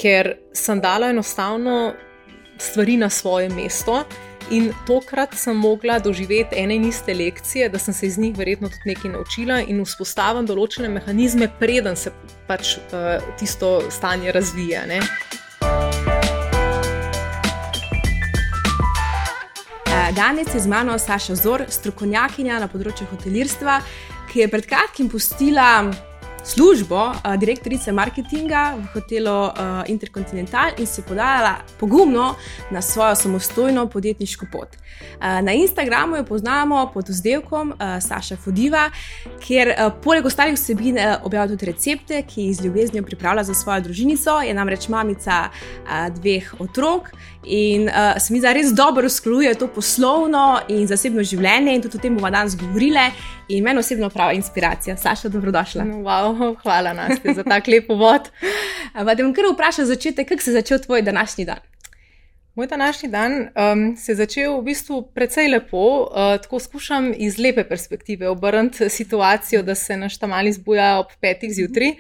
ker sem dala enostavno stvari na svoje mesto in tokrat sem mogla doživeti ene in iste lekcije, da sem se iz njih verjetno tudi nekaj naučila in vzpostavim določene mehanizme, preden se pač tisto stanje razvija, ne. Danes je z mano Saša Zor, strokovnjakinja na področju hotelirstva, ki je pred kratkim pustila službo direktorice marketinga v hotelu Intercontinental in se podala pogumno na svojo samostojno podjetniško pot. Na Instagramu jo poznamo pod vzdevkom Saša Fodiva, kjer poleg ostalih vsebin objavlja tudi recepte, ki jih z ljubeznijo pripravlja za svojo družinico, je namreč mamica 2 otrok in se mi zdi res dobro usklajuje to poslovno in zasebno življenje in tudi o tem bomo danes govorile in meni osebno prava inspiracija. Saša, dobrodošla. Wow, hvala Nastja za tak lep uvod. Pa te bom kar vprašala začetek, kako se je začel tvoj današnji dan? Moj današnji dan se je začel v bistvu precej lepo, tako skušam iz lepe perspektive obrniti situacijo, da se naš Tamal zbuja ob 5 zjutraj.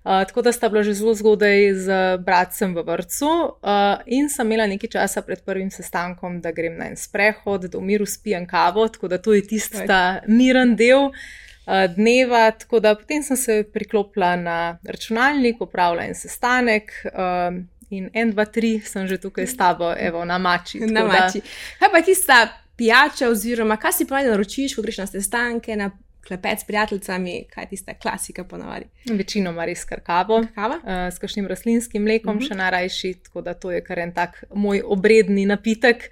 Tako da sta bila že zelo zgodaj z bratcem v vrtcu in sem imela nekaj časa pred prvim sestankom, da grem na en sprehod, da v miru spijem kavo, tako da to je tista miren del dneva, tako da potem sem se priklopila na računalnik, opravila en sestanek in 1, 2, 3 sem že tukaj s tabo, evo, na mači. Na mači. Kaj pa tista pijača oziroma kaj si ponavadi naročiš, ko greš na sestanke, na klepet s prijateljicami, kaj je tista klasika ponavadi? Večinoma res kar kavo, s kakšnim rastlinskim mlekom še najrajši, tako da to je kar en tak moj obredni napitek.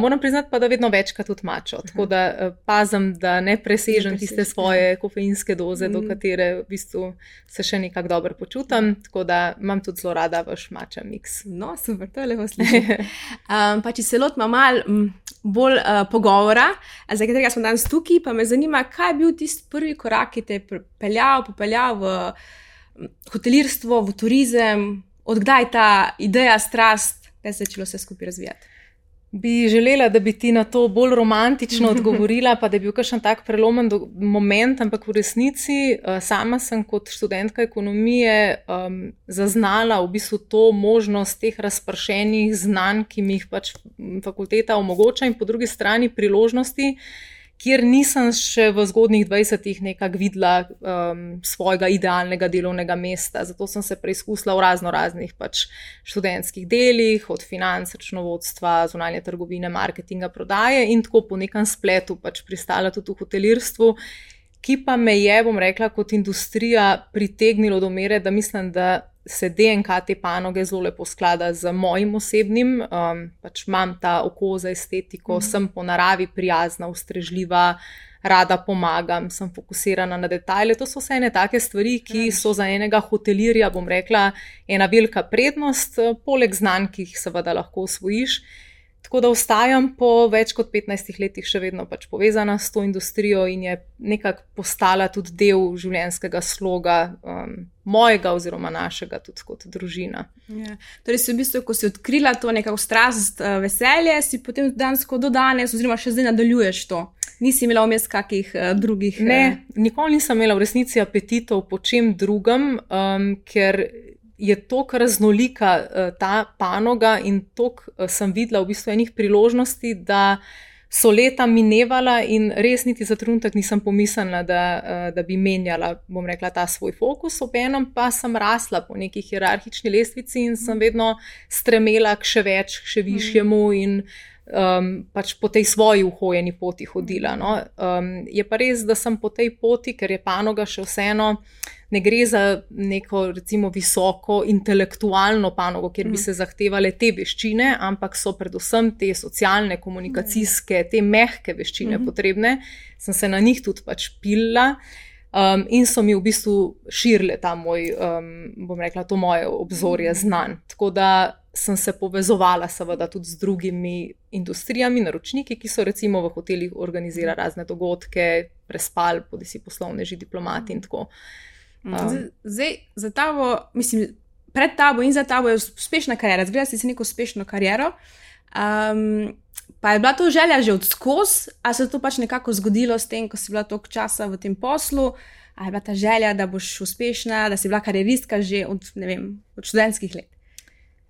Moram priznati pa, da vedno večkrat tudi mačo, tako da pazim, da ne presežem tiste svoje kofeinske doze, do katere v bistvu se še nekako dobro počutim, tako da imam tudi zelo rada vaš mača miks. No, super, to je lepo slišati. Pa če se lotimo malo bolj pogovora, za katerega smo danes tukaj, pa me zanima, kaj je bil tisti prvi korak, ki te je popeljal v hotelirstvo, v turizem, odkdaj ta ideja, strast, da se je začelo vse skupaj razvijati? Bi želela, da bi ti na to bolj romantično odgovorila, pa da bi bil kakšen tak prelomen moment, ampak v resnici sama sem kot študentka ekonomije zaznala v bistvu to možnost teh razpršenih znanj, ki mi jih pač fakulteta omogoča in po drugi strani priložnosti, kjer nisem še v zgodnjih 20-ih nekako videla svojega idealnega delovnega mesta. Zato sem se preizkusila v raznih pač študentskih delih, od financ, računovodstva, zunanje trgovine, marketinga, prodaje in tako po nekem spletu pač pristala tudi v hotelirstvu, ki pa me je, bom rekla, kot industrija pritegnilo do mere, da mislim, da se DNK te panoge zelo lepo sklada z mojim osebnim, pač imam ta oko za estetiko, sem po naravi prijazna, ustrežljiva, rada pomagam, sem fokusirana na detajle. To so vse ene take stvari, ki so za enega hotelirja, bom rekla, ena velika prednost, poleg znanj, ki jih seveda lahko osvojiš. Tako da ostajam po več kot 15 letih še vedno pač povezana s to industrijo in je nekako postala tudi del življenjskega sloga mojega oziroma našega tudi kot družina. Ja. Torej si v bistvu, ko si odkrila to nekako strast, veselje, si potem dansko do danes oziroma še zdaj nadaljuješ to? Nisi imela vmes kakih drugih? Ne, nikoli nisem imela v resnici apetitov po čem drugem, ker je toliko raznolika ta panoga in toliko sem videla v bistvu enih priložnosti, da so leta minevala in res niti za trenutek nisem pomislila, da bi menjala, bom rekla, ta svoj fokus, obenem pa sem rasla po neki hierarhični lestvici in sem vedno stremela k še več, k še višjemu in pač po tej svoji uhojeni poti hodila. No. Je pa res, da sem po tej poti, ker je panoga še vseeno, ne gre za neko recimo visoko intelektualno panogo, kjer bi se zahtevale te veščine, ampak so predvsem te socialne, komunikacijske, te mehke veščine potrebne, sem se na njih tudi pač pilila in so mi v bistvu širile ta moj, bom rekla, to moje obzorje znanj. Tako da sem se povezovala seveda tudi z drugimi industrijami, naročniki, ki so recimo v hotelih organizirali razne dogodke, prespali, bodisi poslovneži, diplomati in tako. Zdaj, za tabo, mislim, pred tabo in za tabo je uspešna kariera, zgledala si neko uspešno kariero, pa je bila to želja že odskoz, ali se to pač nekako zgodilo s tem, ko si bila toliko časa v tem poslu, ali je bila ta želja, da boš uspešna, da si bila karieristka že od, ne vem, od študentskih let?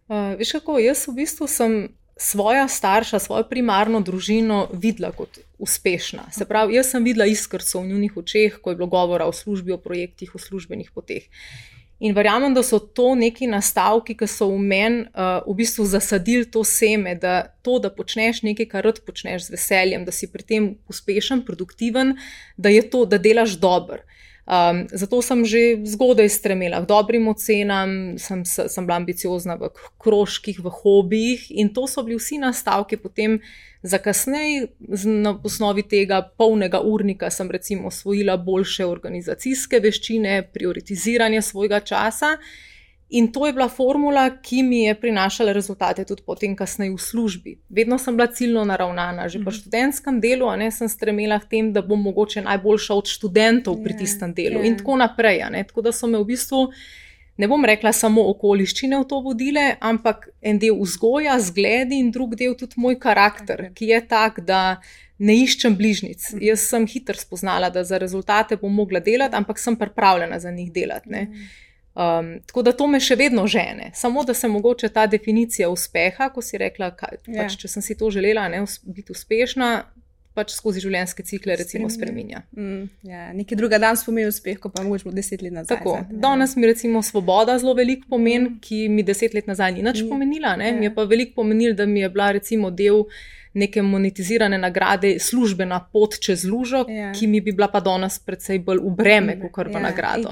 Veš kako, jaz v bistvu sem svoja starša, svojo primarno družino videla kot uspešna. Se pravi, jaz sem videla iskrico v njunih očeh, ko je bilo govora o službi, o projektih, o službenih poteh. In verjamem, da so to neki nastavki, ki so v meni v bistvu zasadili to seme, da počneš nekaj, kar rad počneš z veseljem, da si pri tem uspešen, produktiven, da je to, da delaš dobro. Zato sem že zgodaj stremela k dobrim ocenam, sem bila ambiciozna v krožkih, v hobijih in to so bili vsi nastavki potem za kasneje. Na osnovi tega polnega urnika sem recimo osvojila boljše organizacijske veščine, prioritiziranje svojega časa in to je bila formula, ki mi je prinašala rezultate tudi potem kasneje v službi. Vedno sem bila ciljno naravnana, že po študentskem delu, sem stremela k tem, da bom mogoče najboljša od študentov pri tistem delu in tako naprej. Tako da so me v bistvu, ne bom rekla samo okoliščine v to vodile, ampak en del vzgoja, zgledi in drug del tudi moj karakter, ki je tak, da ne iščem bližnjic. Jaz sem hitro spoznala, da za rezultate bom mogla delati, ampak sem pripravljena za njih delati. Tako da to me še vedno žene, samo da se mogoče ta definicija uspeha, ko si rekla, pač, če sem si to želela biti uspešna, pač skozi življenjske cikle recimo spreminja. Nekaj druga danes pomeni uspeh, ko pa mogoče bo 10 let nazaj. Tako, danes mi recimo svoboda zelo velik pomen, ki mi 10 let nazaj ni nič pomenila, mi je pa velik pomenil, da mi je bila recimo del neke monetizirane nagrade, službena pot čez lužo, ki mi bi bila pa danes precej bolj v breme, kot v nagrado.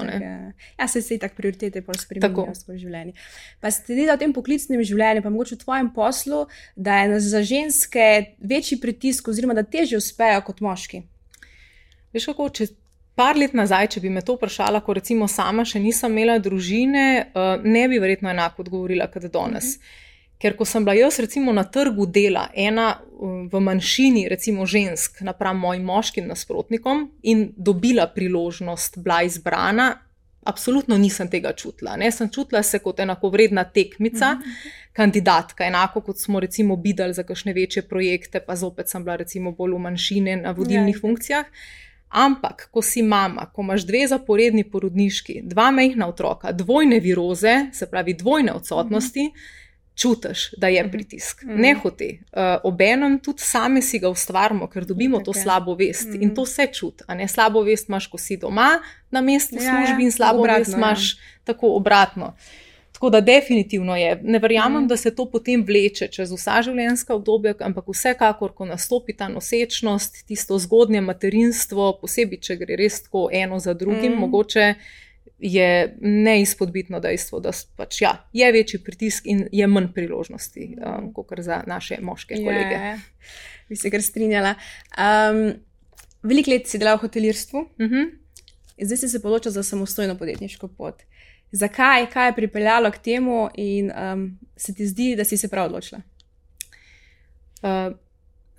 Se tak prioritete bolj spreminjajo v svoje življenje. Pa ste delali v tem poklicnem življenju, pa mogoče v tvojem poslu, da je za ženske večji pritisk oziroma da težje uspejo kot moški? Veš kako, par let nazaj, če bi me to vprašala, ko recimo sama še nisem imela družine, ne bi verjetno enako odgovorila kot danes. Ker ko sem bila jaz recimo na trgu dela, ena v manjšini recimo žensk napram mojim moškim nasprotnikom in dobila priložnost, bila izbrana, absolutno nisem tega čutila. Sem čutila se kot enakovredna tekmica, kandidatka, enako kot smo recimo bidali za kakšne večje projekte, pa zopet sem bila recimo bolj v manjšini na vodilnih funkcijah. Ampak, ko si mama, ko imaš 2 zaporedni porodniški, 2 majhna otroka, dvojne viroze, se pravi dvojne odsotnosti, čutiš, da je pritisk. Ne hote. Obenem tudi same si ga ustvarimo, ker dobimo to slabo vest. In to se čuti. Slabo vest imaš, ko si doma na mestu službi in slabo vest imaš tako obratno. Tako da definitivno je. Ne verjamem, da se to potem vleče čez vsa življenjska obdobja, ampak vsekakor, ko nastopi ta nosečnost, tisto zgodnje materinstvo, posebej, če gre res tako eno za drugim, mogoče je neizpodbitno dejstvo, da pač, je večji pritisk in je manj priložnosti, kot za naše moške kolege. Bi se kar strinjala. Veliko let si delal v hotelirstvu, zdaj si se odločil za samostojno podjetniško pot. Zakaj? Kaj je pripeljalo k temu in se ti zdi, da si se prav odločila?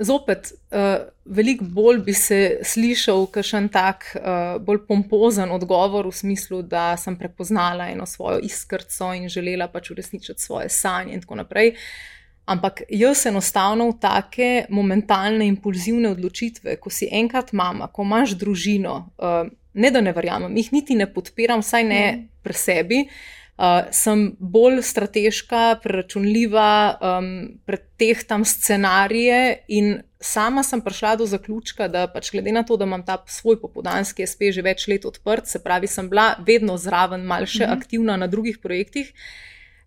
Zopet, veliko bolj bi se slišal kakšen tak bolj pompozen odgovor v smislu, da sem prepoznala eno svojo iskrico in želela pač uresničiti svoje sanje in tako naprej. Ampak jaz enostavno v take momentalne impulzivne odločitve, ko si enkrat mama, ko imaš družino, ne da ne verjamem, jih niti ne podpiram, vsaj ne pri sebi, sem bolj strateška, preračunljiva, pretehtam scenarije in sama sem prišla do zaključka, da pač glede na to, da imam ta svoj popoldanski SP že več let odprt, se pravi, sem bila vedno zraven, malo še aktivna na drugih projektih,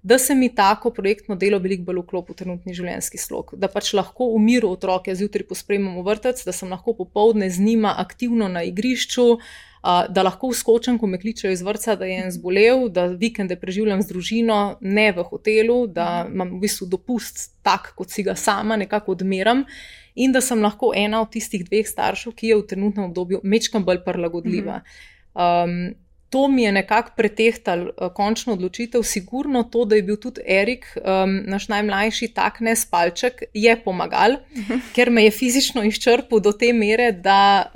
da se mi tako projektno delo veliko bolj vklopi v trenutni življenjski slog. Da pač lahko v miru otroke zjutraj pospremim v vrtec, da sem lahko popoldne z njima aktivno na igrišču, da lahko vskočim, ko me kličejo iz vrtca, da je en zbolel, da vikende preživljam z družino, ne v hotelu, da imam v bistvu dopust tak, kot si ga sama nekako odmeram in da sem lahko ena od tistih 2 staršev, ki je v trenutnem obdobju majčkeno bolj prilagodljiva. To mi je nekako pretehtal končno odločitev, sigurno to, da je bil tudi Erik, naš najmlajši, tak nespalček, je pomagal, ker me je fizično izčrpal do te mere, da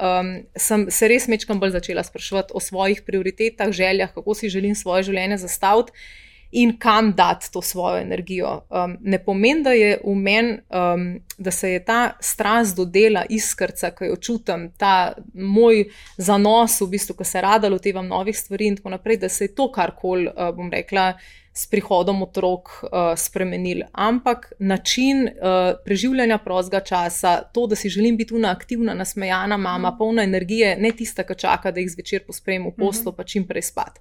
sem se res majčkeno bolj začela spraševati o svojih prioritetah, željah, kako si želim svoje življenje zastaviti in kam dati to svojo energijo. Ne pomeni, da je v meni, da se je ta strast do dela, iskrica, ki jo čutim, ta moj zanos, v bistvu, ko se rada lotevam novih stvari in tako naprej, da se je to karkoli, bom rekla, s prihodom otrok spremenili, ampak način preživljanja prostega časa, to, da si želim biti una aktivna, nasmejana mama, polna energije, ne tista, ki čaka, da jih zvečer posprem v poslo, pa čim prej spat.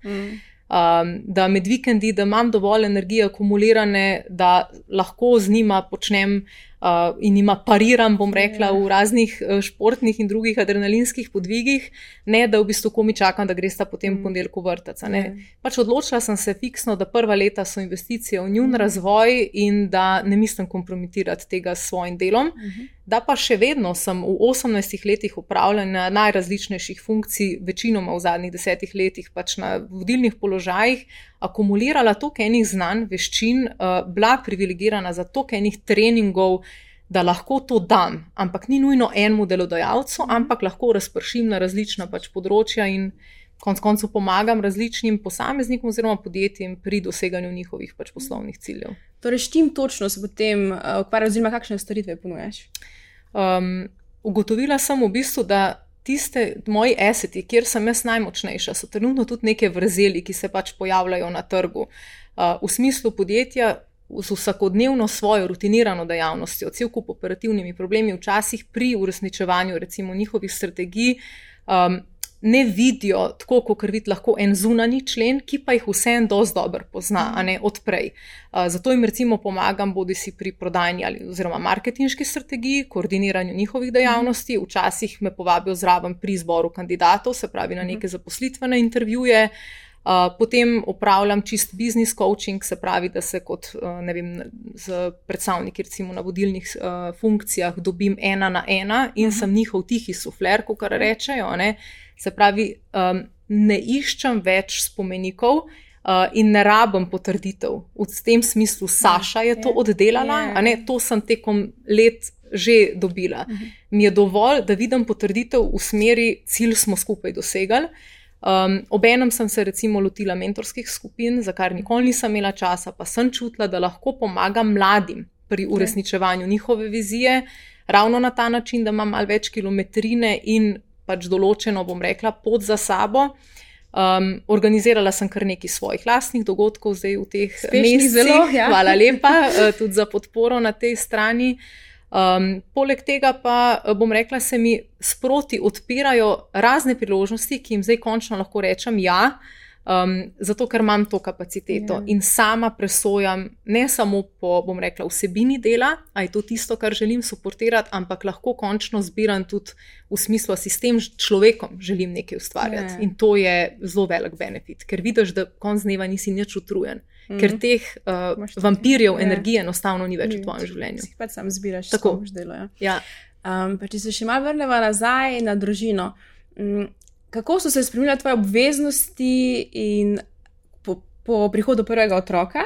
Da med vikendi, da imam dovolj energije akumulirane, da lahko z njima počnem in njima pariram, bom rekla, v raznih športnih in drugih adrenalinskih podvigih, ne da v bistvu komi čakam, da gresta potem ponedeljku vrtec. Pač odločila sem se fiksno, da prva leta so investicije v njun razvoj in da ne mislim kompromitirati tega s svojim delom. Da pa še vedno sem v 18 letih upravljanja najrazličnejših funkcij, večinoma v zadnjih 10 letih pač na vodilnih položajih, akumulirala toliko enih znanj, veščin, bila privilegirana za toliko enih treningov, da lahko to dam, ampak ni nujno enemu delodajalcu, ampak lahko razpršim na različna pač področja in konec koncev pomagam različnim posameznikom oziroma podjetjem pri doseganju njihovih pač poslovnih ciljev. Torej, s čim točno se potem ukvarjaš, oziroma kakšne storitve ponujaš? Ugotovila sem v bistvu, da tiste moji asseti, kjer sem jaz najmočnejša, so trenutno tudi neke vrzeli, ki se pač pojavljajo na trgu. V smislu podjetja z vsakodnevno svojo rutinirano dejavnostjo, cel kup operativnimi problemi, včasih pri uresničevanju recimo njihovih strategij, ne vidijo tako, kot vidi lahko en zunanji člen, ki pa jih vsem dosti dobro pozna, a ne odprej. Zato jim recimo pomagam bodisi pri prodajni oziroma marketinški strategiji, koordiniranju njihovih dejavnosti, včasih me povabijo zraven pri izboru kandidatov, se pravi na neke zaposlitvene intervjuje, potem opravljam čist business coaching, se pravi, da se kot z predstavniki recimo na vodilnih funkcijah dobim 1 na 1 in sem njihov tihi sufler, kakor rečejo, ne. Se pravi, ne iščem več spomenikov in ne rabim potrditev. V tem smislu Saša je to oddelala, a ne, to sem tekom let že dobila. Mi je dovolj, da vidim potrditev v smeri, cilj smo skupaj dosegali. Obenem sem se recimo lotila mentorskih skupin, za kar nikoli nisem imela časa, pa sem čutila, da lahko pomagam mladim pri uresničevanju njihove vizije, ravno na ta način, da imam malo več kilometrine in pač določeno, bom rekla, pot za sabo. Organizirala sem kar nekaj svojih lastnih dogodkov zdaj v teh mesecih. Hvala lepa tudi za podporo na tej strani. Poleg tega pa, bom rekla, se mi sproti odpirajo razne priložnosti, ki jim zdaj končno lahko rečem ja, zato ker imam to kapaciteto in sama presojam ne samo po, bom rekla, vsebini dela, a je to tisto, kar želim suportirati, ampak lahko končno zbiram tudi v smislu, si s tem človekom želim nekaj ustvarjati. In to je zelo velik benefit, ker vidiš, da konc dneva nisi nič utrujen, ker teh vampirjev energije enostavno ni več v tvojem življenju. Si pač sam zbiraš, s kom boš delal. Pa če se še malo vrneva nazaj na družino, kako so se spremenile tvoje obveznosti in po prihodu prvega otroka?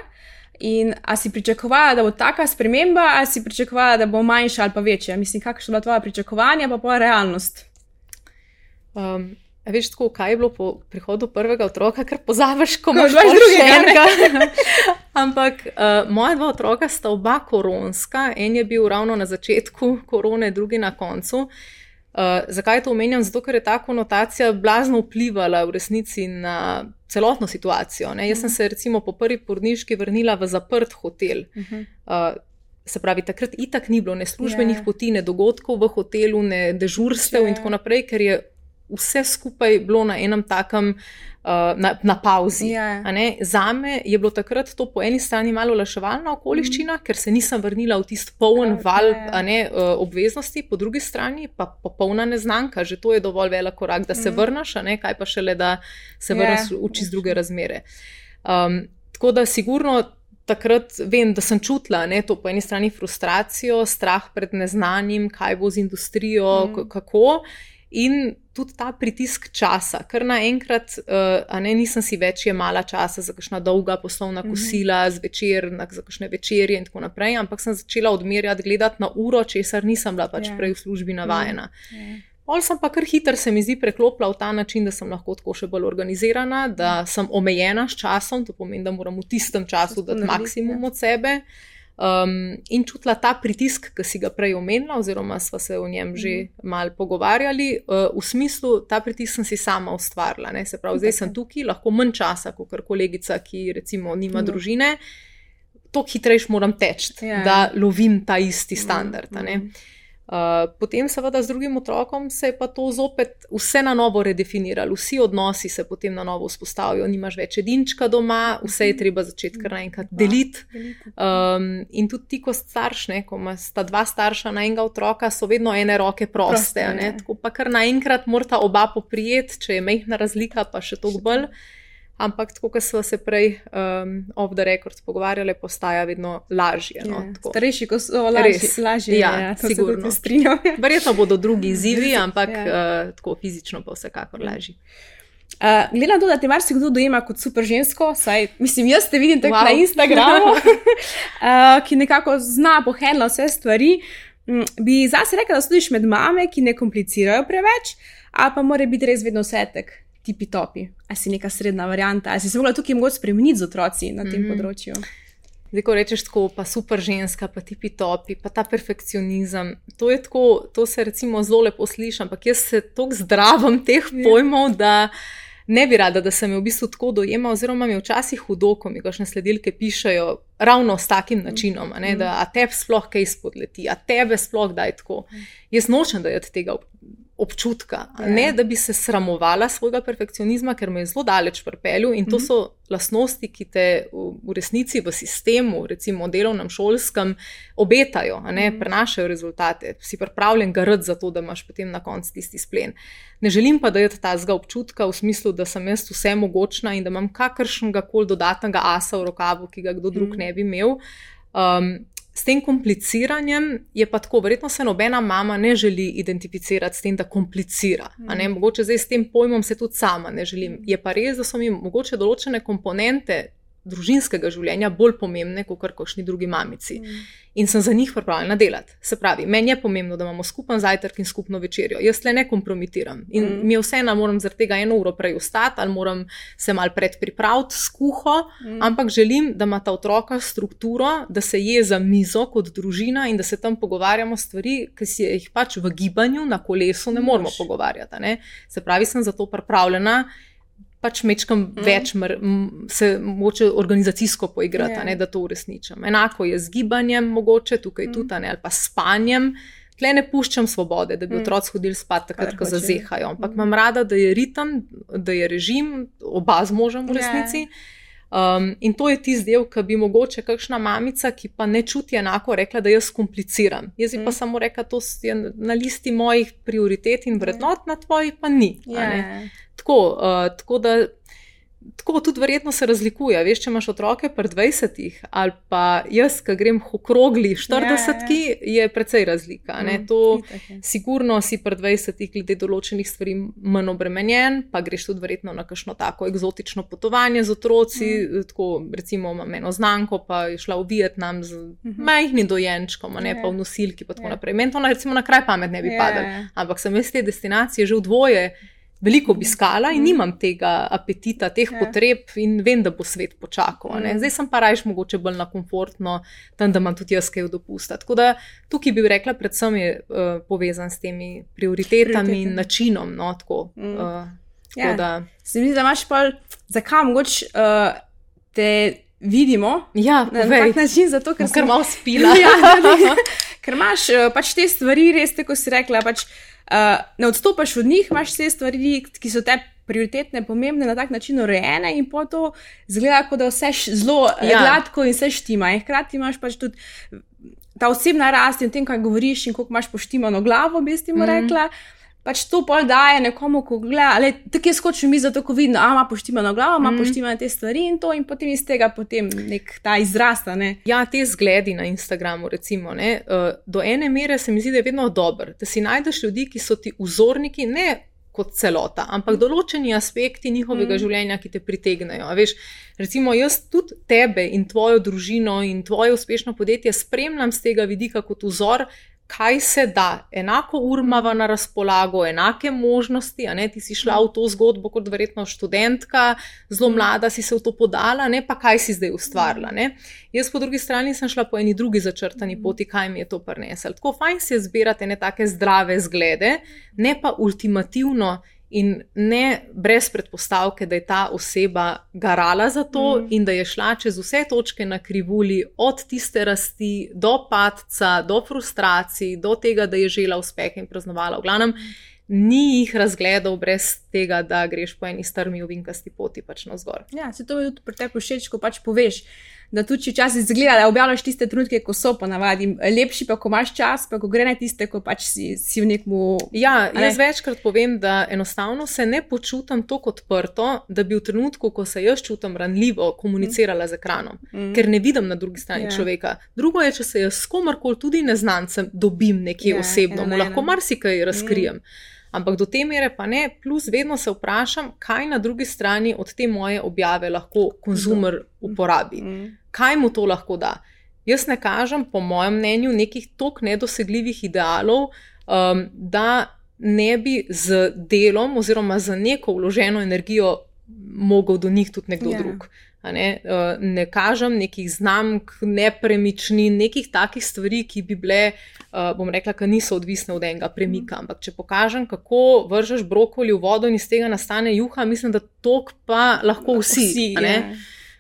In a si pričakovala, da bo taka sprememba, ali si pričakovala, da bo manjša ali pa večja? Mislim, kakšna so bila tvoja pričakovanja, pa realnost? Veš tako, kaj je bilo po prihodu prvega otroka, ker pozabiš, ko imaš še enega. Ampak moja 2 otroka sta oba koronska, en je bil ravno na začetku korone, drugi na koncu. Zakaj to omenjam? Zato, ker je ta konotacija blazno vplivala v resnici na celotno situacijo. Jaz sem se recimo po prvi porodniški vrnila v zaprt hotel. Se pravi, takrat itak ni bilo ne službenih poti, ne dogodkov v hotelu, ne dežurstev in tako naprej, ker je vse skupaj bilo na enem takem na pauzi. Zame je bilo takrat to po eni strani malo olajševalna okoliščina, ker se nisem vrnila v tist poln val obveznosti, po drugi strani pa popolna neznanka, že to je dovolj velik korak, da se vrneš, kaj pa šele, da se vrneš v čist druge razmere. Tako da sigurno takrat vem, da sem čutila to po eni strani frustracijo, strah pred neznanim, kaj bo z industrijo, kako. In tudi ta pritisk časa, ker naenkrat nisem si več jemala časa za kakšna dolga poslovna kosila, zvečer, za kakšne večerje in tako naprej, ampak sem začela odmerjati, gledati na uro, česar nisem bila pač prej v službi navajena. Pol sem pa kar hitro, se mi zdi, preklopila v ta način, da sem lahko tako še bolj organizirana, da sem omejena s časom, to pomeni, da moram v tistem času dati maksimum od sebe. in čutila ta pritisk, ki si ga prej omenila, oziroma sva se o njem že malo pogovarjali, v smislu, ta pritisk sem si sama ustvarila. Ne? Se pravi, zdaj sem tukaj, lahko manj časa, kot kolegica, ki recimo nima družine, toliko hitrejš moram teči, da lovim ta isti standard. Potem seveda z drugim otrokom se je pa to zopet vse na novo redefiniralo, vsi odnosi se potem na novo vzpostavijo, nimaš več edinčka doma, vse je treba začeti kar naenkrat deliti. In tudi ti, ko starš, ko sta dva starša na enega otroka, so vedno ene roke proste, tako pa kar naenkrat morata oba poprijeti, če je majhna razlika, pa še toliko bolj. Ampak tako, kot smo se prej off the record pogovarjali, postaja vedno lažje. Starejši, ko so lažje. Ja, sigurno. Verjetno bodo drugi izzivi, ampak tako fizično pa vsekakor lažje. Glede na to, da te marsikdo dojema kot super žensko, saj, mislim, jaz te vidim tako na Instagramu, ki nekako zna pohendla vse stvari, bi zase rekla, da stojiš med mame, ki ne komplicirajo preveč, ali pa mora biti res vedno vsetek. Tipi-topi, ali si neka srednja varianta, ali si se mogla tukaj mogoče spremeniti z otroci na tem področju? Zdaj, ko rečeš tako, pa super ženska, pa tipi-topi, pa ta perfekcionizem, to je tako, to se recimo zelo lepo sliši, ampak jaz se toliko zdravim teh pojmov, da ne bi rada, da se me v bistvu tako dojema, oziroma mi včasih hudo, ko mi kakšne sledilke pišejo ravno s takim načinom, da a tebi sploh kaj spodleti, a tebe sploh daj tako. Jaz nočem dajati tega občutka, ne da bi se sramovala svojega perfekcionizma, ker me je zelo daleč pripeljal in to so lastnosti, ki te v resnici v sistemu, recimo delovnem, šolskem, obetajo, prenašajo rezultate. Si pripravljen garati za to, da imaš potem na koncu tisti splen. Ne želim pa dajati tazga občutka v smislu, da sem jaz vse mogočna in da imam kakršnega koli dodatnega asa v rokavu, ki ga kdo drug ne bi imel. S tem kompliciranjem je pa tako, verjetno se nobena mama ne želi identificirati s tem, da komplicira. Mogoče zdaj s tem pojmom se tudi sama ne želim. Je pa res, da so mi mogoče določene komponente družinskega življenja bolj pomembne, kot kakšni drugi mamici. In sem za njih pripravljena delati. Se pravi, meni je pomembno, da imamo skupen zajtrk in skupno večerjo. Jaz tle ne kompromitiram. In mi je vseeno, moram zaradi tega 1 uro prej vstati, ali moram se malo predpripraviti s kuho, ampak želim, da ima ta otroka strukturo, da se je za mizo kot družina in da se tam pogovarjamo stvari, ki si jih pač v gibanju na kolesu ne moramo pogovarjati. Se pravi, sem za to pripravljena, pač mečkam več se mogoče organizacijsko poigrati, da to uresničam. Enako je z gibanjem mogoče, tukaj tudi, ali pa s spanjem. Tle ne puščam svobode, da bi otroci hodili spat takrat, ko zazehajo. Ampak imam rada, da je ritem, da je režim, oba z možem v resnici. In to je tisti del, ki bi mogoče kakšna mamica, ki pa ne čuti enako, rekla, da jaz kompliciram. Jaz bi pa samo rekla, to je na listi mojih prioritet in vrednot, na tvoji pa ni. Tako da tako tudi verjetno se razlikuje. Veš, če imaš otroke pri 20-ih ali pa jaz, ki grem okrogli 40-ki, je precej razlika. To sigurno si pri 20-ih glede določenih stvari manj obremenjen, pa greš tudi verjetno na kakšno tako eksotično potovanje z otroci, tako recimo imam eno znanko, pa je šla v Vietnam z majhnim dojenčkom, pa v nosilki pa tako naprej. Meni to recimo na kraj pamet ne bi padalo, ampak sem jaz te destinacije že v dvoje veliko obiskala in nimam tega apetita, teh potreb in vem, da bo svet počakal. Zdaj sem pa rajš mogoče bolj na komfortno, tam, da imam tudi jaz kaj dopusta. Tako da tukaj bi rekla, predvsem je povezan s temi prioritetami in načinom. Se mi zdi, da imaš pa, zakaj mogoče te vidimo na tak način, zato ker sem malo spila. Ker imaš pač te stvari, res tako si rekla, pač ne odstopaš od njih, imaš vse stvari, ki so te prioritetne, pomembne, na tak način urejene in po to zgleda, kot da vse zelo gladko in vse štima. In hkrati imaš pač tudi ta osebna rast in o tem, kaj govoriš in koliko imaš poštimano glavo, bi s tem rekla. Pač to pol daje nekomu, ko gleda, tako je skočil mi zato, ko vidim, ima poštimano glavo, ima poštimane te stvari in to in potem iz tega potem nek ta izrasta. Ja, te zgledi na Instagramu recimo, do ene mere se mi zdi, da je vedno dober, da si najdeš ljudi, ki so ti vzorniki, ne kot celota, ampak določeni aspekti njihovega življenja, ki te pritegnejo. Veš, recimo jaz tudi tebe in tvojo družino in tvoje uspešno podjetje spremljam z tega vidika kot vzor, kaj se da, enako urmava na razpolago, enake možnosti, a ne, ti si šla v to zgodbo kot verjetno študentka, zelo mlada si se v to podala, ne, pa kaj si zdaj ustvarila, ne. Jaz po drugi strani sem šla po eni drugi začrtani poti, kaj mi je to prineslo. Tako fajn si je zbirati ene take zdrave zglede, ne pa ultimativno in ne brez predpostavke, da je ta oseba garala za to in da je šla čez vse točke na krivulji, od tiste rasti do padca, do frustracij, do tega, da je žela uspehe in praznovala. V glavnem, ni jih razgledal brez tega, da greš po eni strmi ovinkasti poti pač navzgor. Ja, se to mi tudi pri tebi všeč, ko pač poveš, da tudi včasih izgleda, da objavljaš tiste trenutke, ko so ponavadi lepši, pa ko imaš čas, pa ko gre na tiste, ko pač si v nekmu... Ja, jaz večkrat povem, da enostavno se ne počutam tako odprto, da bi v trenutku, ko se jaz čutim ranljivo, komunicirala z ekranom, ker ne vidim na drugi strani človeka. Drugo je, če se jaz s komarkoli, tudi neznancem, dobim nekje osebno, mu lahko marsikaj razkrijem. Ampak do te mere pa ne, plus vedno se vprašam, kaj na drugi strani od te moje objave lahko konzumer uporabi. Kaj mu to lahko da? Jaz ne kažem, po mojem mnenju, nekih toliko nedosegljivih idealov, da ne bi z delom oziroma z neko vloženo energijo mogel do njih tudi nekdo drug. Ne kažem nekih znamk, nepremičnin, nekih takih stvari, ki bi bile, bom rekla, ki niso odvisne od enega premika. Ampak če pokažem, kako vržeš brokoli v vodo in iz tega nastane juha, mislim, da tok pa lahko vsi.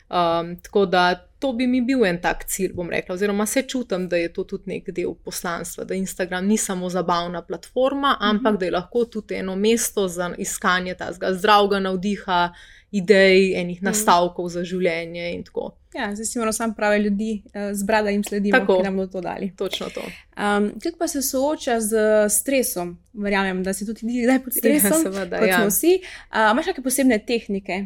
Tako da to bi mi bil en tak cilj, bom rekla, oziroma se čutim, da je to tudi nek del poslanstva, da Instagram ni samo zabavna platforma, ampak da je lahko tudi eno mesto za iskanje tazga zdravega navdiha, idej, enih nastavkov za življenje in tako. Ja, zdaj si moramo sam prave ljudi zbrati, da jim sledimo, ki nam bodo to dali. Točno to. Kako pa se sooča z stresom? Verjamem, da si tudi ti zdaj pod stresom, seveda, kot smo vsi. Imaš kakšne posebne tehnike?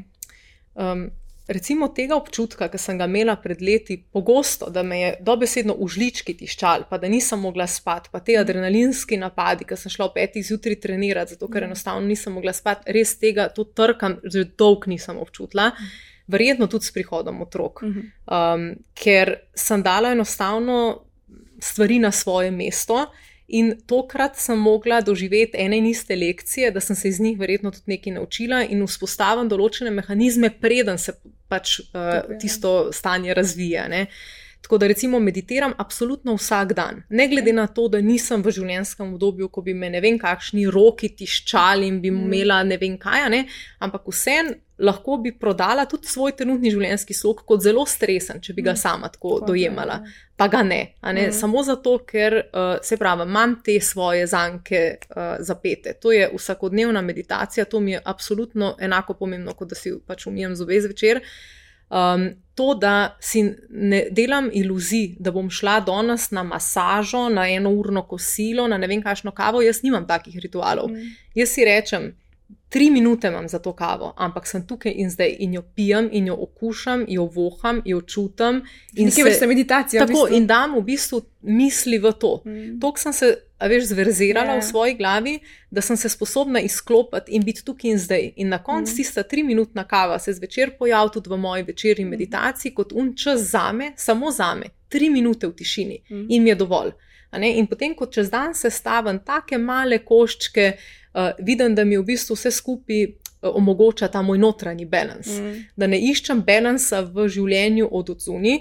Recimo tega občutka, ki sem ga imela pred leti pogosto, da me je dobesedno v žlički tiščal, pa da nisem mogla spati, pa te adrenalinski napadi, ki sem šla ob 5 zjutraj trenirati, zato ker enostavno nisem mogla spati, res tega, to trkam, že dolgo nisem občutila, verjetno tudi s prihodom otrok, ker sem dala enostavno stvari na svoje mesto. In tokrat sem mogla doživeti ene in iste lekcije, da sem se iz njih verjetno tudi nekaj naučila in vzpostavim določene mehanizme, preden se pač tisto stanje razvija. Ne. Tako da recimo meditiram absolutno vsak dan. Ne glede na to, da nisem v življenjskem obdobju, ko bi me ne vem kakšni roki tiščali in bi imela ne vem kaj, ne, ampak vsem lahko bi prodala tudi svoj trenutni življenjski slog kot zelo stresen, če bi ga sama tako dojemala. Pa ga ne. Samo zato, ker se pravi, imam te svoje zanke zapete. To je vsakodnevna meditacija, to mi je absolutno enako pomembno, kot da si pač umijem zobe zvečer. To, da si ne delam iluzij, da bom šla danes na masažo, na 1-urno kosilo, na ne vem kakšno kavo, jaz nimam takih ritualov. Jaz si rečem, 3 minute imam za to kavo, ampak sem tukaj in zdaj in jo pijem in jo okušam, jo voham, jo čutim. Nekaj vrste meditacija. Tako, in dam v bistvu misli v to. Toliko sem se, zverzirala v svoji glavi, da sem se sposobna izklopiti in biti tukaj in zdaj. In na koncu tista 3-minutna kava se zvečer pojavi tudi v moji večerni meditaciji kot čas zame, samo zame, 3 minute v tišini in mi je dovolj. In potem, ko čez dan sestavim take male koščke, vidim, da mi v bistvu vse skupaj omogoča ta moj notranji balans. Da ne iščem balansa v življenju od odzuni,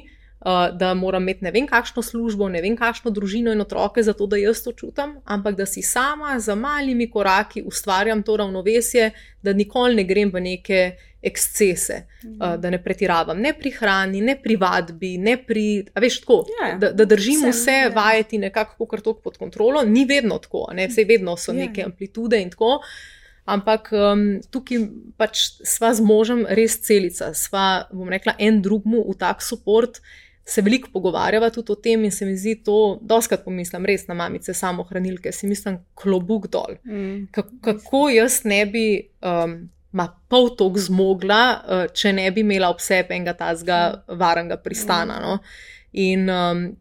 da moram imeti ne vem kakšno službo, ne vem kakšno družino in otroke, zato da jaz to čutim, ampak da si sama za malimi koraki ustvarjam to ravnovesje, da nikoli ne grem v neke ekscese, da ne pretiravam, ne pri hrani, ne pri vadbi, ne pri, tako, da držim vse vajeti nekako kar toliko pod kontrolo, ni vedno tako, vse vedno so neke amplitude in tako, ampak tukaj pač sva z možem res celica, sva, bom rekla, en drugmu v tak support, se veliko pogovarjava tudi o tem in se mi zdi to, dostikrat pomislim res na mamice samohranilke, si mislim klobuk dol. Kako jaz ne bi pol toliko zmogla, če ne bi imela ob sebi enega tazga varnega pristana. No? In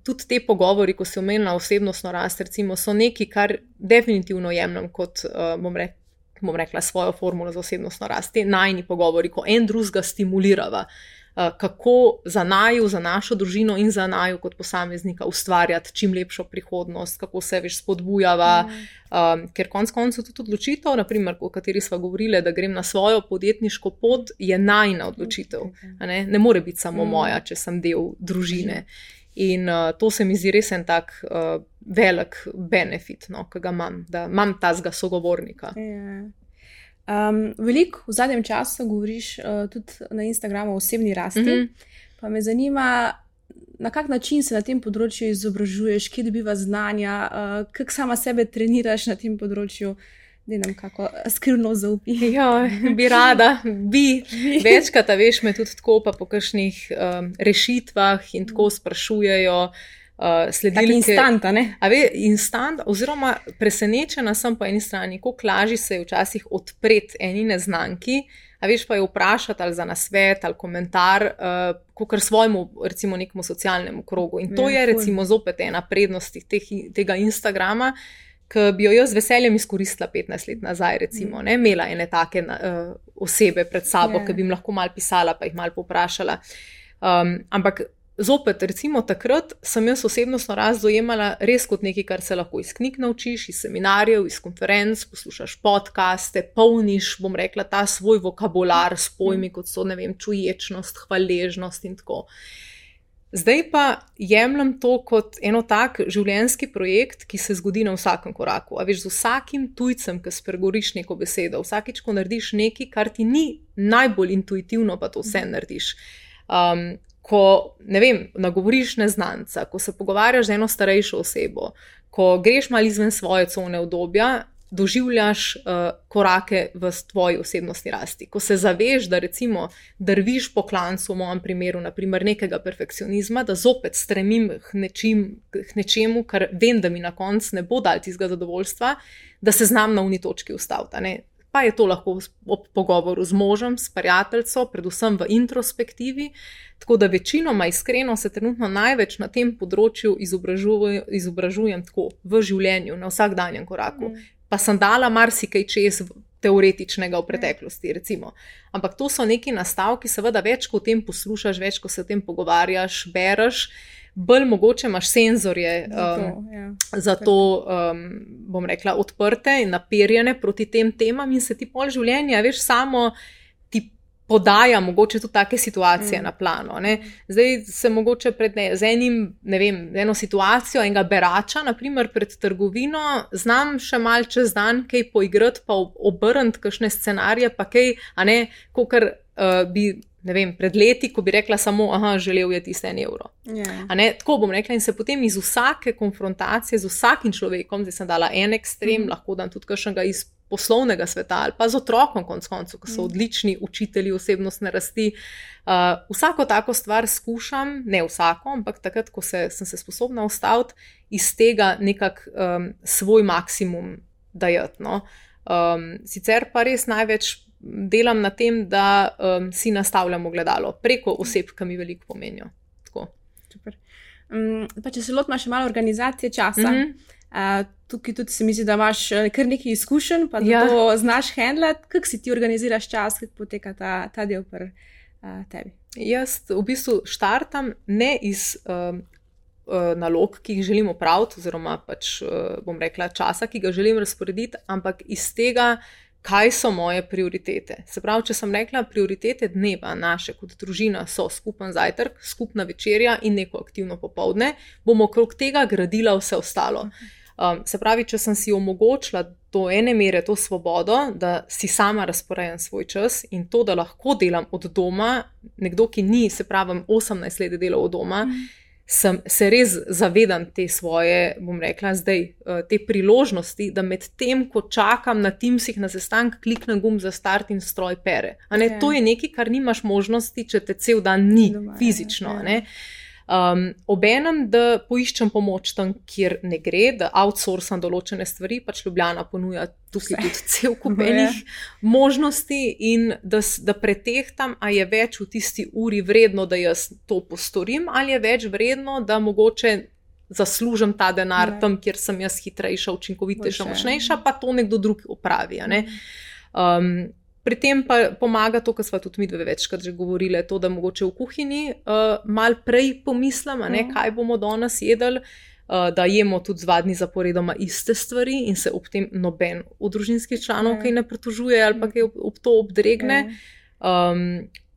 tudi te pogovori, ko si omenila osebnostno rast, recimo, so neki, kar definitivno jemljem kot, bom rekla, svojo formulo za osebnostno rast. Te najni pogovori, ko en drugega stimulirava. kako za naju, za našo družino in za naju kot posameznika ustvarjati čim lepšo prihodnost, kako se več spodbujava, ker konec koncev tudi odločitev, naprimer, o kateri sva govorili, da grem na svojo podjetniško pot, je najina odločitev. Ne more biti samo moja, če sem del družine. In to se mi zdi res en tak velik benefit, no, ki ga imam, da imam tazga sogovornika. Veliko v zadnjem času govoriš tudi na Instagramu o osebni rasti, pa me zanima, na kak način se na tem področju izobražuješ, kje dobiva znanja, kako sama sebe treniraš na tem področju, da nam kako skrivno zaupi. Ja, bi rada, večkrat, veš, me tudi tako pa po kakšnih rešitvah in tako sprašujejo, sledilke. Instant, ne? Instant, oziroma presenečena sem po eni strani, koliko lažje se je včasih odpreti eni neznanki, veš, pa je vprašati ali za nasvet ali komentar, kakor svojemu, recimo, nekemu socialnemu krogu. In to je recimo zopet ena prednost tega Instagrama, ki bi jo jaz z veseljem izkoristila 15 let nazaj, recimo, ne, imela ene take osebe pred sabo, ki bi jim lahko malo pisala, pa jih malo povprašala. Ampak zopet, recimo takrat sem jaz osebnostno rast dojemala res kot nekaj, kar se lahko iz knjig naučiš, iz seminarjev, iz konferenc, poslušaš podcaste, polniš, bom rekla, ta svoj vokabular s pojmi, kot so, ne vem, čuječnost, hvaležnost in tako. Zdaj pa jemljem to kot eno tak življenjski projekt, ki se zgodi na vsakem koraku. A veš, z vsakim tujcem, ki spregovoriš neko besedo, vsakič, ko narediš nekaj, kar ti ni najbolj intuitivno, pa to vse narediš. Ko, ne vem, nagovoriš neznanca, ko se pogovarjaš z eno starejšo osebo, ko greš malo izven svoje cone udobja, doživljaš korake v tvoji osebnostni rasti. Ko se zaveš, da recimo drviš po klancu, v mojem primeru, naprimer nekega perfekcionizma, da zopet stremim k nečemu, kar vem, da mi na koncu ne bo dal tistega zadovoljstva, da se znam na uni točki ustaviti. Pa je to lahko ob pogovoru z možem, s prijateljco, predvsem v introspektivi, tako da večinoma iskreno se trenutno največ na tem področju izobražujem tako v življenju, na vsakdanjem koraku. Pa sem dala marsikaj čez teoretičnega v preteklosti, recimo. Ampak to so neki nastavki, seveda več, ko o tem poslušaš, več, ko se o tem pogovarjaš, bereš, bolj mogoče imaš senzorje za to, bom rekla, odprte in naperjene proti tem temam in se ti pol življenja, veš, samo ti podaja mogoče tudi take situacije na plano. Ne? Zdaj se mogoče z eno situacijo, enega berača, naprimer pred trgovino, znam še mal čez dan kaj poigrati, pa obrniti kakšne scenarije, pa kaj, kakor bi, ne vem, pred leti, ko bi rekla samo, želel je tisti €1. Tako bom rekla in se potem iz vsake konfrontacije z vsakim človekom, zdaj sem dala en ekstrem, lahko dam tudi kakšnega iz poslovnega sveta ali pa z otrokom konec koncev, ko so odlični učitelji osebnostne rasti. Vsako tako stvar skušam, ne vsako, ampak takrat, ko sem se sposobna ustaviti, iz tega nekak svoj maksimum dajati. No. Sicer pa res največ delam na tem, da si nastavljam ogledalo preko oseb, ki mi veliko pomenijo. Tako. Super. Pa če se lotimo še malo organizacije časa, tukaj tudi se mi zdi, da imaš kar nekaj izkušenj, pa da to znaš handlati. Kako si ti organiziraš čas, kako poteka ta del pri tebi? Jaz v bistvu štartam ne iz nalog, ki jih želim opraviti, oziroma pač, bom rekla, časa, ki ga želim razporediti, ampak iz tega, kaj so moje prioritete. Se pravi, če sem rekla, prioritete dneva naše kot družina so skupen zajtrk, skupna večerja in neko aktivno popoldne, bomo okrog tega gradila vse ostalo. Se pravi, če sem si omogočila do ene mere to svobodo, da si sama razporejam svoj čas in to, da lahko delam od doma, nekdo, ki ni, se pravim, 18 let delal od doma, se res zavedam te svoje, bom rekla zdaj, te priložnosti, da med tem, ko čakam na Teamsih na sestanek, kliknem gumb za start in stroj pere. To je nekaj, kar nimaš možnosti, če te cel dan ni fizično. Obenem, da poiščem pomoč tam, kjer ne gre, da outsourcam določene stvari, pač Ljubljana ponuja tukaj tudi cel kup enih možnosti in da pretehtam, a je več v tisti uri vredno, da jaz to postorim, ali je več vredno, da mogoče zaslužim ta denar tam, kjer sem jaz hitrejša, učinkovitejša, močnejša, pa to nekdo drug opravi. Pri tem pa pomaga to, kar sva tudi mi dve večkrat že govorili, to, da mogoče v kuhinji mal prej pomislim, kaj bomo danes jedli, da jemo tudi 2 dni zaporedoma iste stvari in se ob tem noben od družinskih članov kaj ne pritožuje ali pa kaj ob to obdregne.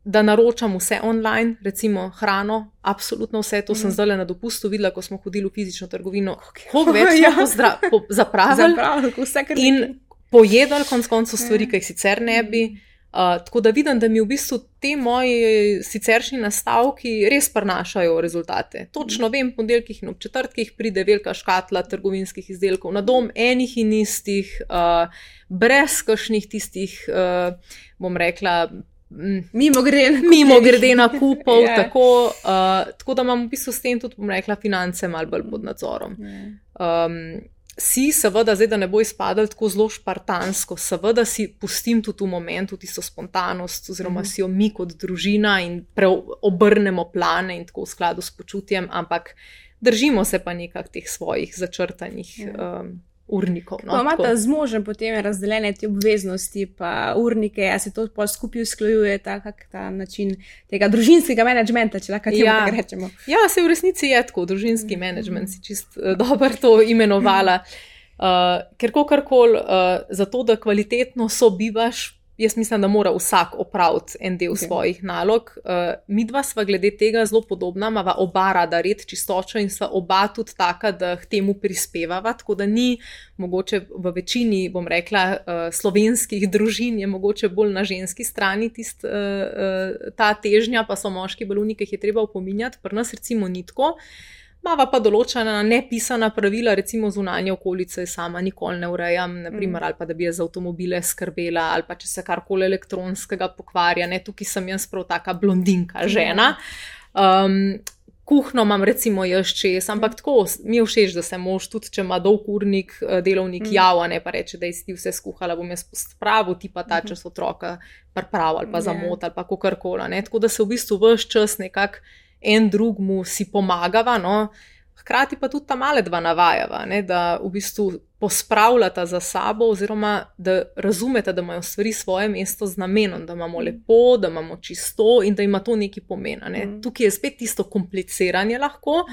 Da naročam vse online, recimo hrano, absolutno vse, to sem zdaj na dopustu videla, ko smo hodili v fizično trgovino, koliko več smo zapravili in pojedali konec koncev stvari, ki jih sicer ne bi. Tako da vidim, da mi v bistvu te moji siceršnji nastavki res prinašajo rezultate. Točno vem, po ponedeljkih in ob četrtkih pride velika škatla trgovinskih izdelkov na dom, enih in istih, brez kakšnih tistih, bom rekla, mimogrede nakupov, tako da imam v bistvu s tem tudi, bom rekla, finance malo bolj pod nadzorom. Si seveda, zdaj da ne bo izpadal tako zelo špartansko, seveda si pustim tudi v momentu tisto spontanost, oziroma si jo mi kot družina in obrnemo plane in tako v skladu s počutjem, ampak držimo se pa nekak teh svojih začrtanih urnikov. Ko imate z možem potem razdeljene te obveznosti pa urnike, a se to pol skupaj usklajuje ta način tega družinskega menedžmenta, če lahko temu tako rečemo? Ja, se v resnici je tako, družinski menedžment si čist dobro to imenovala. Ker kakorkoli, zato da kvalitetno sobivaš, jaz mislim, da mora vsak opraviti en del svojih nalog. Midva sva glede tega zelo podobna, imava oba rada red, čistočo in sva oba tudi taka, da k temu prispevava, tako da ni mogoče v večini, bom rekla, slovenskih družin je mogoče bolj na ženski strani ta težnja, pa so moški bolj uniki, jih je treba opominjati, pri nas recimo ni tako. Mava pa določena nepisana pravila, recimo zunanje okolice sama nikoli ne urejam, naprimer, ali pa da bi jaz za avtomobile skrbela, ali pa če se karkoli elektronskega pokvarja, tukaj sem jaz prav taka blondinka žena. Kuhno imam recimo jaz čez, ampak tako mi je všeč, da se mož tudi, če ima dolg urnik, delovnik java, ne pa reče, da si ti vse skuhala, bom jaz pospravil, ti pa ta čas otroka priprav ali pa zamot ali pa kakorkoli, tako da se v bistvu ves čas nekako en drugmu si pomagava, hkrati pa tudi ta male dva navajava, da v bistvu pospravljata za sabo oziroma da razumeta, da imajo stvari svoje mesto z namenom, da imamo lepo, da imamo čisto in da ima to neki pomen. Tukaj je spet tisto kompliciranje lahko,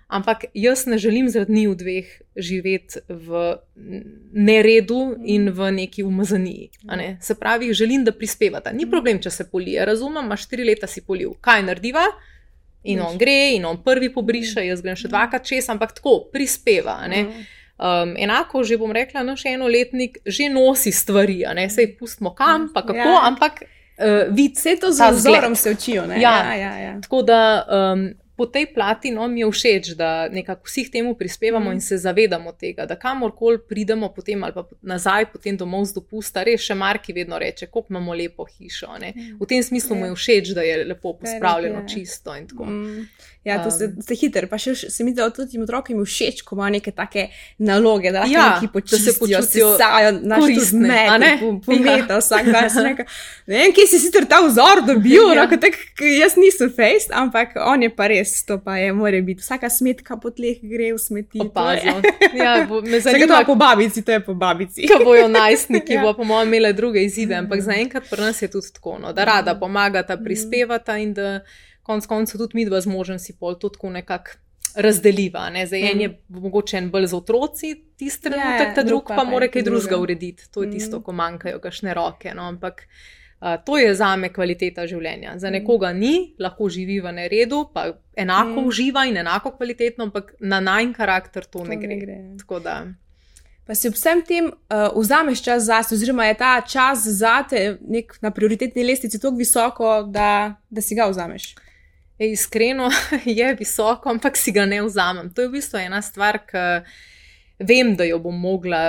ampak jaz ne želim zaradi njiju dveh živeti v neredu in v neki umazaniji. Se pravi, želim, da prispevata. Ni problem, če se polije, razumem, imaš 4 leta si polil. Kaj narediva? In on gre, in on prvi pobriše, jaz grem še 2krat čez, ampak tako, prispeva. Enako, že bom rekla, naš enoletnik že nosi stvari, sej pustimo kam, pa kako, ampak vid vse to z vzorom se učijo. Ja. Tako da po tej plati mi je všeč, da nekako vsi temu prispevamo in se zavedamo tega, da kamorkoli pridemo potem ali pa nazaj potem domov z dopusta, res še Marki vedno reče, koliko imamo lepo hišo. V tem smislu mu je všeč, da je lepo pospravljeno, čisto in tako. Ja, to ste hiter, pa še se mi zdi, da tudi otrokom je všeč, ko imajo neke take naloge, da lahko neki počistijo, sesajo naš zmed, pometa vsak dan. Ne vem, kje si sicer ta vzor dobil, jaz nisem fejst, ampak on je pa res, to pa je, mora biti. Vsaka smetka po tleh gre v smeti. Opazno. Ja, me zanima. To je po babici, to je po babici. Ko bojo najstniki, bo po mojem imele druge izide, ampak zaenkrat pri nas je tudi tako, da rada pomagata, prispevata in da konec koncev tudi midva z možem si pol to tako nekako razdeliva. Zdaj en je mogoče en bolj za otroci tisti trenutek, ta drug pa mora kaj drugega urediti. To je tisto, ko manjkajo kakšne roke. Ampak to je zame kvaliteta življenja. Za nekoga ni, lahko živi v neredu, pa enako uživa in enako kvalitetno, ampak na najn karakter to ne gre. Tako da... Pa si ob vsem tem vzameš čas zase, oziroma je ta čas zate na prioritetni lestvici tako visoko, da si ga vzameš? Iskreno je visoko, ampak si ga ne vzamem. To je v bistvu ena stvar, ki vem, da jo bom mogla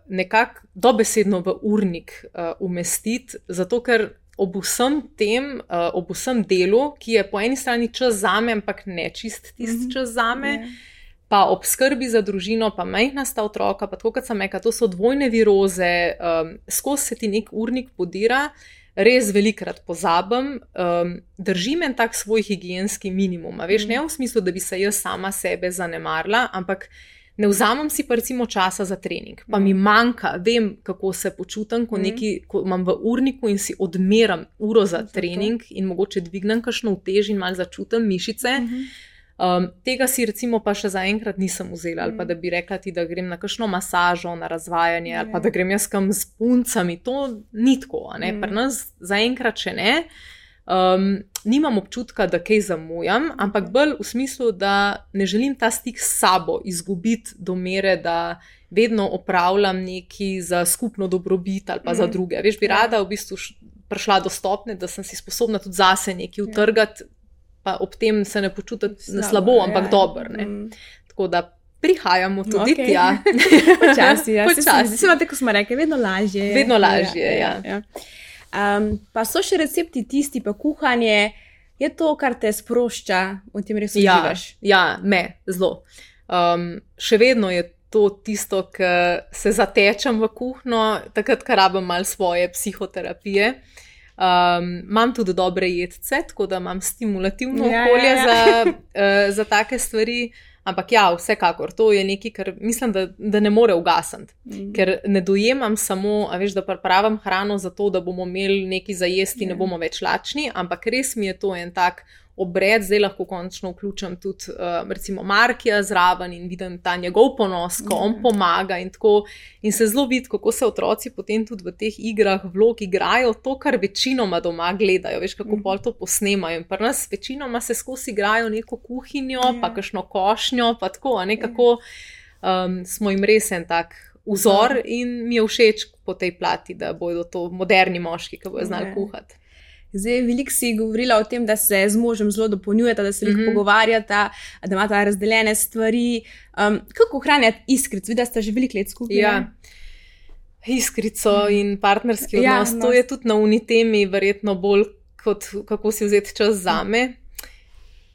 nekako dobesedno v urnik umestiti, zato ker ob vsem tem, ob vsem delu, ki je po eni strani čas zame, ampak ne čist tisti čas zame, pa ob skrbi za družino, pa majhna sta otroka, pa tako, kot sem rekla, to so dvojne viroze, skozi se ti nek urnik podira, res velikrat pozabim, držim en tak svoj higienski minimum. Veš, ne v smislu, da bi se jaz sama sebe zanemarila, ampak ne vzamem si pa recimo časa za trening, pa mi manjka, vem, kako se počutim, ko imam v urniku in si odmeram uro za trening in mogoče dvignem kakšno utež in malo začutim mišice. Tega si recimo pa še zaenkrat nisem vzela, ali pa da bi rekla ti, da grem na kakšno masažo, na razvajanje, ali pa da grem jaz kam s puncami, to ni tako, ne? Pri nas zaenkrat še ne. Nimam občutka, da kaj zamujam, ampak bolj v smislu, da ne želim ta stik s sabo izgubiti do mere, da vedno opravljam nekaj za skupno dobrobit ali pa za druge. Veš, bi rada v bistvu prišla do stopnje, da sem si sposobna tudi zase nekaj utrgati, pa ob tem se ne počutiti slabo, ampak dobro. Tako da prihajamo tudi tja. Počasi, ja. Počasi. Tako smo rekli, vedno lažje. Vedno lažje, ja. Pa so še recepti tisti, pa kuhanje, je to, kar te sprošča, v tem res uživaš? Ja, zelo. Še vedno je to tisto, ki se zatečem v kuhno, takrat, ko rabim malo svoje psihoterapije. Imam tudi dobre jedce, tako da imam stimulativno okolje za take stvari. Ampak ja, vsekakor, to je nekaj, kar mislim, da ne more ugasniti. Ker ne dojemam samo, da pripravim hrano za to, da bomo imeli nekaj za jesti in ne bomo več lačni, ampak res mi je to en tak obred, zdaj lahko končno vključim tudi recimo Markija zraven in vidim ta njegov ponos, ko on pomaga in tako. In se zelo vidi, kako se otroci potem tudi v teh igrah vlog igrajo to, kar večinoma doma gledajo, veš, kako pol to posnemajo. In pri nas večinoma se skozi igrajo neko kuhinjo, pa kakšno košnjo, pa tako, nekako smo jim res en tak vzor in mi je všeč po tej plati, da bodo to moderni moški, ki bodo znali kuhati. Zdaj, veliko si govorila o tem, da se z možem zelo dopolnjujeta, da se veliko pogovarjata, da imata razdeljene stvari. Kako ohranjati iskrico? Vidi, da sta že veliko let skupaj. Ja, iskrico in partnerski odnos. To je tudi na unitemi verjetno bolj kot kako si vzeti čas zame.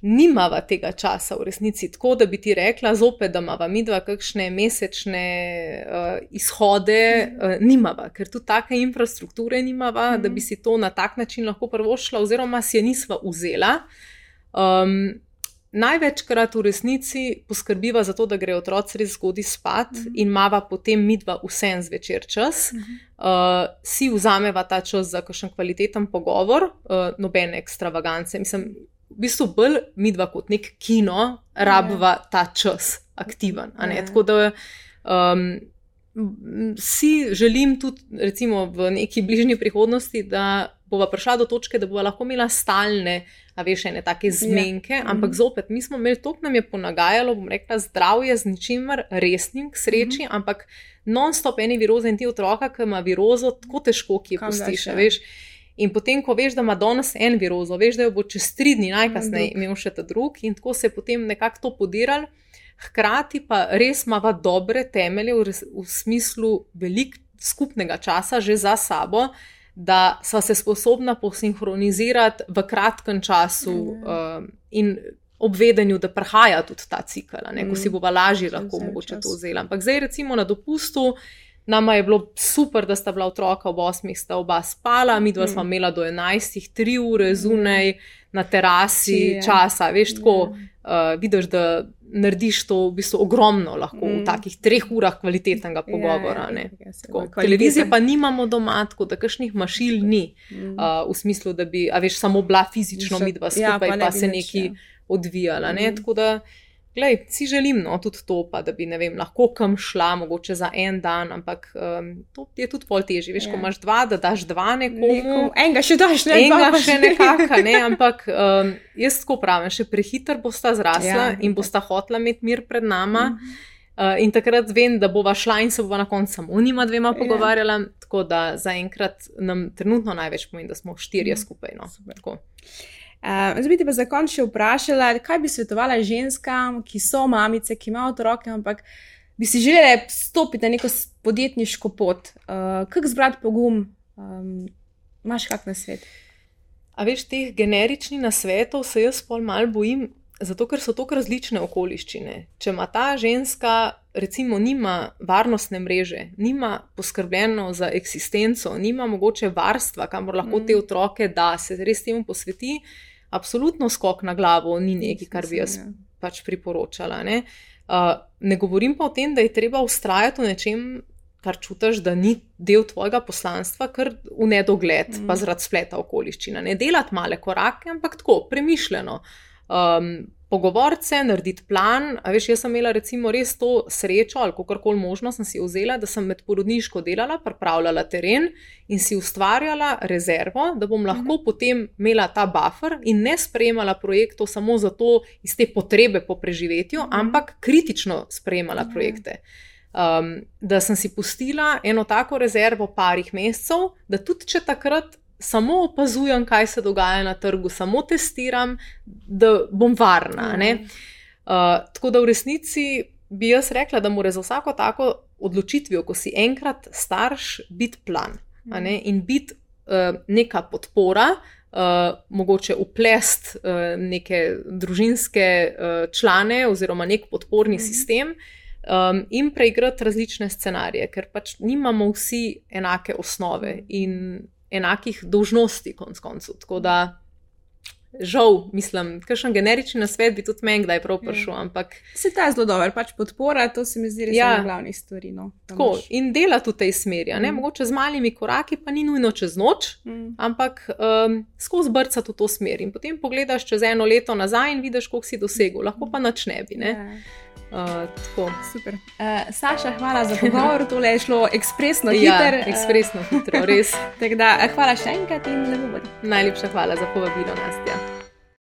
Nimava tega časa v resnici, tako da bi ti rekla zopet, da imava midva kakšne mesečne izhode, nimava, ker tudi take infrastrukture nimava, da bi si to na tak način lahko privoščila oziroma si je nisva vzela. Največkrat v resnici poskrbiva za to, da gre otroci res zgodaj spat in imava potem midva vsem zvečer čas. Si vzameva ta čas za kakšen kvaliteten pogovor, nobene ekstravagance, mislim, v bistvu bolj midva kot nek kino rabva ta čas aktiven. Tako da si želim tudi recimo v neki bližnji prihodnosti, da bova prišla do točke, da bova lahko imela stalne, ene take zmenke, ampak zopet, mi smo imeli toliko, nam je ponagajalo, bom rekla, zdravje z ničimer resnim k sreči, ampak non-stop eni viroze in ti otroka, ki ima virozo, tako težko, ki je pustiš, veš. In potem, ko veš, da ima danes en virozo, veš, da jo bo čez 3 dni najkasneje imel še ta drug in tako se je potem nekako to podiralo, hkrati pa res imava dobre temelje v smislu veliko skupnega časa že za sabo, da sva se sposobna posinhronizirati v kratkem času in ob vedenju, da prihaja tudi ta cikel, ko si bova lažje lahko mogoče to vzela. Ampak zdaj recimo na dopustu nama je bilo super, da sta bila otroka ob 8, sta oba spala, midva sva imela do 11, 3 ure zunaj na terasi časa, veš, tako vidiš, da narediš to v bistvu ogromno lahko v takih 3 urah kvalitetnega pogovora. Televizije pa nimamo doma, tako da kakšnih mašil ni v smislu, da bi, samo bila fizično midva skupaj, pa se nekaj odvijala, tako da glej, si želim, tudi to, pa da bi, ne vem, lahko kam šla, mogoče za en dan, ampak to je tudi pol težje, veš, ko imaš 2, da daš 2 nekomu. Enega še daš, ne? Enega še nekaka, ne, ampak jaz tako pravim, še prehiter bosta zrasla in bosta hotla imeti mir pred nama in takrat vem, da bova šla in se bova na koncu samo njima 2 pogovarjala, tako da zaenkrat nam trenutno največ pomeni, da smo 4 skupaj, tako. Zdaj bi te pa za konec še vprašala, kaj bi svetovala ženskam, ki so mamice, ki imajo otroke, ampak bi si želele stopiti na neko podjetniško pot. Kako zbrati pogum? Imaš kak nasvet? A veš, teh generičnih nasvetov se jaz pol malo bojim, zato ker so toliko različne okoliščine. Če ima ta ženska, recimo, nima varnostne mreže, nima poskrbljeno za eksistenco, nima mogoče varstva, kamor lahko te otroke da, se res temu posveti, absolutno skok na glavo ni nekaj, kar bi jaz pač priporočala. Ne govorim pa o tem, da je treba vztrajati v nečem, kar čutiš, da ni del tvojega poslanstva, kar v nedogled, pa zaradi spleta okoliščina. Ne delati male korake, ampak tako, premišljeno. Pogovoriti se, narediti plan. A veš, jaz sem imela recimo res to srečo, ali kakorkoli možno sem si vzela, da sem med porodniško delala, pripravljala teren in si ustvarjala rezervo, da bom lahko potem imela ta buffer in ne sprejemala projektov samo zato iz te potrebe po preživetju, ampak kritično sprejemala projekte. Da sem si pustila eno tako rezervo parih mesecev, da tudi če takrat samo opazujem, kaj se dogaja na trgu, samo testiram, da bom varna. Tako da v resnici bi jaz rekla, da mora za vsako tako odločitvijo, ko si enkrat starš, biti plan. In biti neka podpora, mogoče uplest neke družinske člane oziroma nek podporni sistem, in preigrati različne scenarije, ker pač nimamo vsi enake osnove in enakih dolžnosti konec koncev. Tako da, žal, mislim, kakšen generični nasvet bi tudi meni kdaj prav prišel, ampak... Se ta je zelo dober, pač podpora, to se mi zdi res ena glavnih stvari. Tako, in delati v tej smeri, mogoče z malimi koraki, pa ni nujno čez noč, ampak skozi brcati v to smer. In potem pogledaš čez 1 leto nazaj in vidiš, koliko si dosegel, lahko pa nič ne bi, tako. Super. Saša, hvala za pogovor, tole je šlo ekspresno hitro. Ja, ekspresno hitro, res. Tako da, hvala še enkrat in lepo bodi. Najlepša hvala za povabilo, Nastja.